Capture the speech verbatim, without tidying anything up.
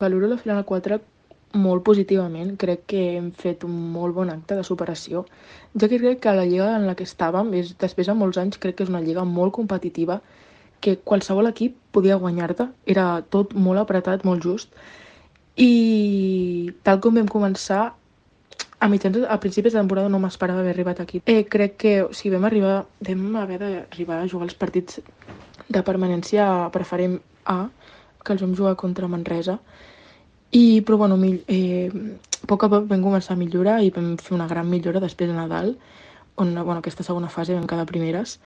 Valoro la final quatre molt positivament. Crec que hem fet un molt bon acte de superació, ja que crec que la lliga en la que estàvem, és, després de molts anys, crec que és una lliga molt competitiva, que qualsevol equip podia guanyar-te. Era tot molt apretat, molt just. I tal com vam començar, a mitjans, a principis de temporada no m'esperava haver arribat aquí. Eh, crec que o sigui, vam arribar, vam haver d'arribar a jugar els partits de permanència preferent A, que els vam jugar contra Manresa. I, però bueno, eh, a poc a poc vam començar a millorar i vam fer una gran millora després de Nadal, on bueno, aquesta segona fase vam quedar primeres.